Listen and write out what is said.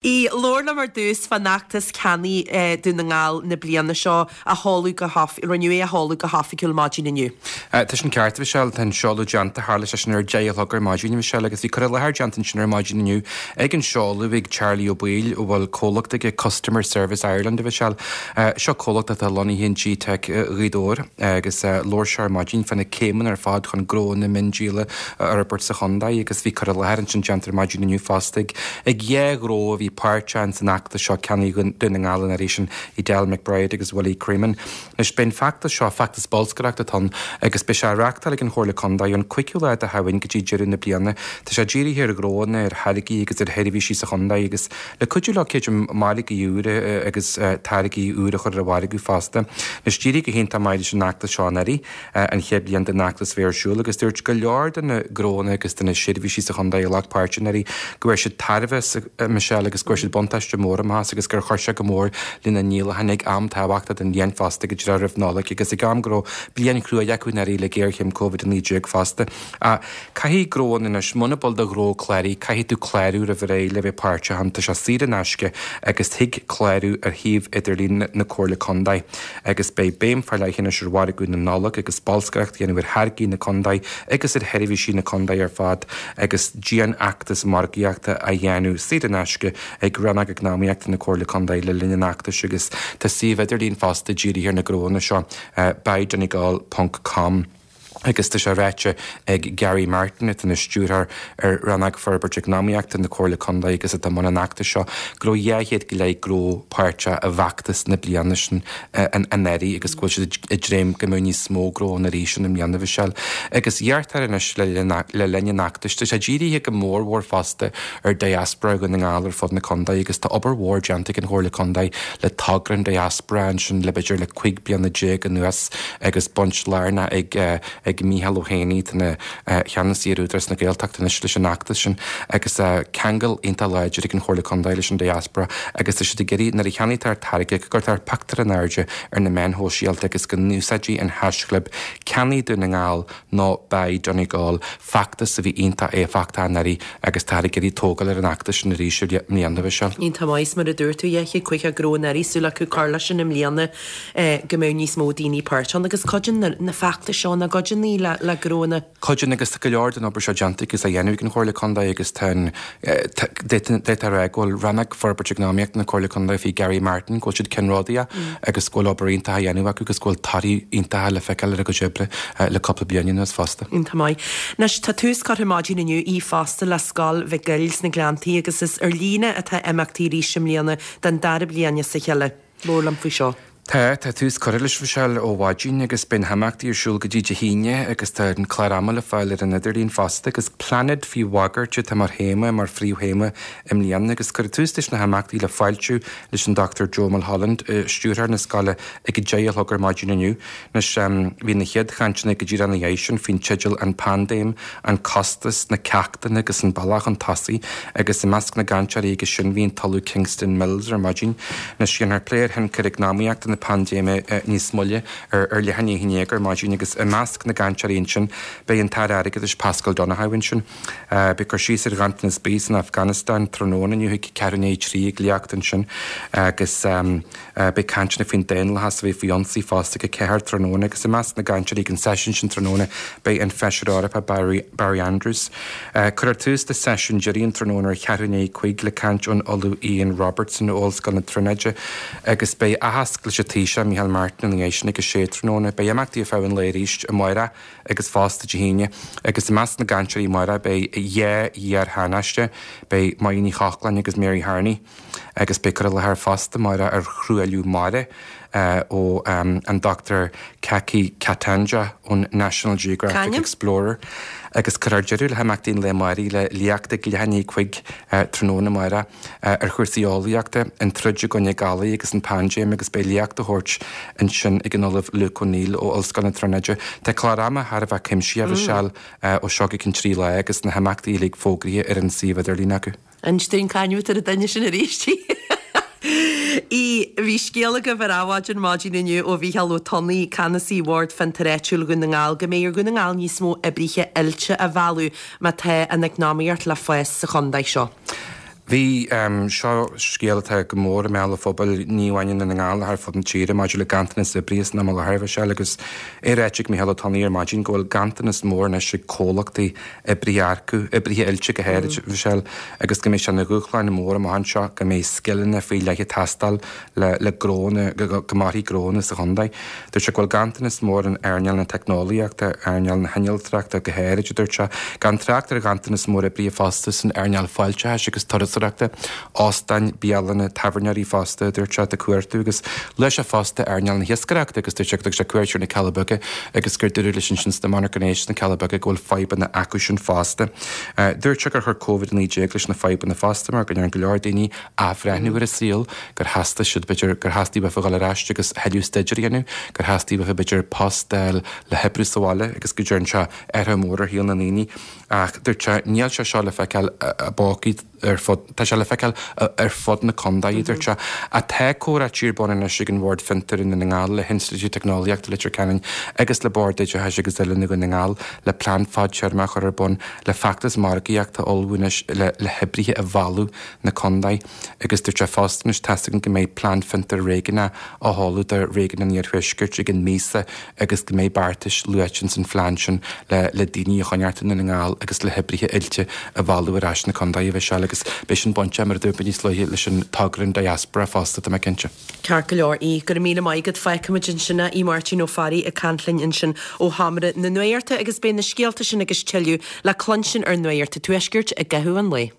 Aodh, labhair liom ar dtús fán fheachtas Ceannaigh Dún na nGall na bliana seo a sheoladh go rinneadh é a sheoladh go hoifigiúil maidin inniu. Tá sin ceart, a Mhichelle. Tá an seoladh déanta. Tharla sé sin ar 10 a chlog ar maidin, a Mhichelle, agus bhí cur i láthair déanta ansin ar maidin inniu ag an seoladh ag Charlie Ó Baoill, a bhfuil comhlacht aige, Customer Service Ireland, a Mhichelle. Seo comhlacht atá lonnaithe in GTeic Ghaoth Dobhair agus labhair sé ar maidin fá na céimeanna ar fad chun gnónna miondíola a fhorbairt sa chontae agus bhí cur i láthair ansin déanta ar maidin inniu fosta ag Ag 2 ghnó a bhí páirteach ins an fheachtas seo Ceannaigh Dún na nGall an iarraidh sin, Edel McBride agus Willie Creamean. Anois beidh an feachtas seo, feachtas bolscaireachta atá ann agus beidh sé á reachtáil ag an Chomhairle Contae ón 5ú lá de Shamhain go dtí deireadh na bliana. Tá sé dírithe ar ghnóanna, ar tháirgí agus ar sheirbhísí sa chontae agus le cuidiú leo creidim margaí úra agus táirgí úra a chur ar an mhargadh fosta. Anois d'éirigh go hiontach maith leis an fheachtas seo anuraidh. an chéad bhliain den fheachtas a bheith ar siúl agus dúirt go leor de na gnóanna agus de na seirbhísí sa chontae a ghlac páirt anuraidh go bhfuair siad tairbhe as, a Michelle, agus go bhfuair siad buntáiste mór amach as agus gur chuir sé go mór lena ndíolacháin ag am tábhachtach den bhliain fosta go díreach roimh Nollaig agus ag am go raibh bliain chruaidh acu anuraidh le géarchéim Covid-19 fosta. Ach caithfidh gnóanna anois, muna bhfuil do ghnó cláraithe, caithfidh tú clárú roimh ré le bheith páirteach ann. Tá sé saor in aisce agus thig clárú ar shuíomh idirlín na Comhairle Contae. Agus beidh béim fá leith anois ar mhargadh na Nollag agus bolscaireacht a dhéanamh ar tháirgí na contae agus ar sheirbhísí na contae ar fad agus dianfheachtas margaíochta á dhéanamh saor in aisce ag Rannóg Eacnamaíochta na Comhairle Contae le linn an fheachtais agus tá suíomh idirlín fosta dírithe ar na gnóanna seo, buydonegal ponc com. Agus tá sé ráite ag Gary Martin, atá ina stiúrthóir ar Rannóg Forbairt Eacnamaíochta na Comhairle Contae agus atá i mbun an fheachtais seo, go raibh 200 go leith gnó páirteach i bhfeachtas na bliana sin anuraidh agus go bhfuil siad ag dréim go mbeidh níos mó gnó ann arís i mbliana, a Mhichelle. Agus iarrtar anois le linn an fheachtais, tá sé dírithe go mórmhór fosta ar diaspora Dhún na nGall ar fud na contae agus tá obair mhór déanta ag an Chomhairle Contae le togra an diaspora ansin le b'fhéidir le 15 bliana anuas. agus baint lárnach ag ag Mícheál Ó hÉanaí, atá ina cheannasaí ar Údarás na Gaeltachta anois, leis an fheachtas sin agus ceangal iontach láidir ag an Chomhairle Contae leis an diaspora agus tá siad ag iarraidh nuair a cheannaítear táirge go gcuirtear pictiúr in airde ar na meáin shóisialta agus go n-úsáidfí an haischlib Ceannaigh Dún na nGall nó Buy Donegal, feachtas a bhí iontach éifeachtach anuraidh agus táthar ag iarraidh tógáil ar an fheachtas sin arís i mbliana, a Mhichelle. Iontach maith, is mar a dúirt tú, 250 gnó anuraidh, súil acu cur leis sin i mbliana go mbeidh níos mó daoine páirteach ann agus cuidíonn na feachtais seo, nach gcuidíonn le gnóanna. Cuidíonn agus tá go leor den obair seo déanta agus á dhéanamh ag an Chomhairle Contae agus tá an, d'fhéadfá a rá go bhfuil Rannóg Forbairt Eacnamaíochta na Comhairle Contae faoi Gary Martin, go bhfuil siad ceannródaíoch agus go bhfuil obair iontach á dhéanamh acu agus go bhfuil torthaí iontacha le feiceáil ar a gcuid oibre le cúpla bliain anuas fosta. Iontach maith. Anois, tá tús curtha maidin inniu í fosta le Scoil Mhic Goill sna Gleanntaí agus is ar líne atá imeachtaí arís i mbliana den dara bliain as a chéile. Labhair liom faoi seo. Tá, tá tús curtha leis, a Mhichelle, ó mhaidin agus beidh na himeachtaí ar siúl go dtí Dé hAoine agus tá an clár ama le fáil ar an idirlíon fosta agus Plainéad faoi Bhagairt atá mar théama, mar phríomhthéama i mbliana agus cuireadh tús leis na himeachtaí le fáiltiú leis an Dr Joe Mulholland, stiúrthóir na scoile ag a 10 a chlog ar maidin inniu. Anois, bhí na chéad chainteanna go díreach ina dhiaidh sin faoin teideal 'An Paindéim, an Costas, na Ceachtanna agus an Bealach Chun Tosaigh' agus i measc na gcainteoirí aige sin bhí an tOllamh Kingston Mills ar maidin. Anois, dhéanfar plé ar thionchar eacnamaíochta na paindéime níos moille ar leath i ndiaidh a 11 ar maidin agus i measc na gcainteoirí ansin beidh an tAire Airgeadais Paschal Donohoe ansin. Beidh cur síos ar ghanntanas bídh san Afganastáin tráthnóna inniu ag ceathrú i ndiaidh a 3 ag léacht ansin agus beidh cainteanna faoin daonlathas a bheith faoi ionsaí fosta ag 4 tráthnóna agus i measc na gcainteoirí ag an seisiún sin tráthnóna beidh an Feisire Eorpach Barry, Barry Andrews. Cuirfear tús le seisiún deiridh an tráthnóna ar cheathrú i ndiaidh 5 le caint ón Ollamh Ian Robertson ó Ollscoil na Tríonóide agus beidh aitheasc leis an Taoiseach Micheál Martin ina dhiaidh sin ag 6 tráthnóna. Beidh imeachtaí ar feadh an lae arís amárach agus fosta Dé hAoine. Agus i measc na gcainteoirí amárach beidh 2 iar-thánaiste, beidh Máire Ní Chochláin agus Mary Harney, agus beidh cur i láthair fosta amárach ar thruailliú mara ó an Dr Kaki Katanja ón National Geographic Explorer. Agus cuirfear deireadh le himeachtaí an lae amáirigh le léacht ag leath i ndiaidh 5 tráthnóna amárach. ar chúrsaí eolaíochta, an troid i gcoinne galair agus an paindéim agus beidh léacht á thabhairt ansin ag an Ollamh Luke O'Neill ó Ollscoil na Tríonóide. Tá clár ama thar a bheith cuimsitheach, a Mhichelle, ó seo go ceann 3 lá agus na himeachtaí uilig fógraithe ar an suíomh idirlín acu. Inis dúinn cá hainm atá ar an duine sin arís. Í, Bhí scéal agaibh ar Adhmhaidin maidin inniu ó Mhícheál Ó Tonnaigh, Ceannasaí Bhord Fiontair Áitiúil Dhún na nGall, go mbeidh ar Dhún na nGall níos mó oibrithe oilte a mhealladh má tá an eacnamaíocht le fás sa chontae seo. Bhí, seo scéal atá go mór i mbéal an phobail, ní amháin i nDún na nGall ach ar fud na tíre, maidir le ganntanas oibrithe san am i láthair, a Mhichelle, agus é ráite ag Micheál Ó Tonnaigh ar maidin go bhfuil ganntanas mór anois ag comhlachtaí oibrithe a earcú, oibrithe oilte go háirid, a Mhichelle, agus go mbeidh sé ina dhúshlán mór amach anseo, go mbeidh scileanna faoi leith ag teastáil le le gnónna, go mairfidh gnónna sa chontae. Dúirt sé go bhfuil ganntanas mór in earnáil na teicneolaíochta, earnáil na hinnealtóireachta go háirid, a dúirt sé, gan trácht ar ghanntanas mór oibrithe fosta san earnáil fáilteachais agus turasóireachta, óstáin, bialanna, tábhairneoirí fosta, a dúirt sé, atá ag cuartú agus luaigh sé fosta earnáil na hiascaireachta agus dúirt sé go dtug sé cuairt ar na Cealla Beaga agus gur dúradh leis ansin sna monarchana éisc sna Cealla Beaga go bhfuil fadhbanna acusan fosta. Dúirt sé gur chuir Covid-19 leis na fadhbanna fosta mar go ndearna go leor daoine athbhreithniú ar a saol, gur theastaigh siad, b'fhéidir, gur theastaigh uafa dhul ar ais agus thuilleadh staidéir a dhéanamh, gur theastaigh uafa, b'fhéidir, post a fháil le hoibriú sa bhaile agus go dtearn sé athrú mór ar shaol na ndaoine. Ach dúirt sé, níl sé seo le feiceáil i bpócaí ar fud, tá sé le feiceáil ar fud na contae, a dúirt sé. Ach tá comhráití ar bun anois ag an Bhord Fiontair i nDún na nGall le hInstitiúid Teicneolaíochta Leitir Ceanainn agus le Bord Oideachais agus Oiliúna Dhún na nGall le plean fadtéarmach a chur ar bun le feachtas margaíochta a ullmhú anois le le hoibrithe a mhealladh na contae agus dúirt sé fosta anois tá's againn go mbeidh Plean Fiontair Réigiúnach á sheoladh do Réigiún an Iarthuaiscirt i gcionn míosa agus go mbeidh beartais luaite ins an phlean sin le le daoine a choinneáilt i nDún na nGall agus le hoibrithe oilte a mhealladh ar ais na contae a Mhichelle agus beidh sin bainteach mar a dúirt mé níos luaithe leis an togra an diaspora fosta tá mé cinnte. Ceart go leor, Aodh, go raibh míle maith agat. Fágfaimid ansin é, Aodh Máirtín Ó Fearraigh ag caint linn ansin ó Sheomra na Nuachta agus beidh na scéalta sin agus tuilleadh le cluinstin ar Nuacht an Tuaiscirt i gcaitheamh an lae.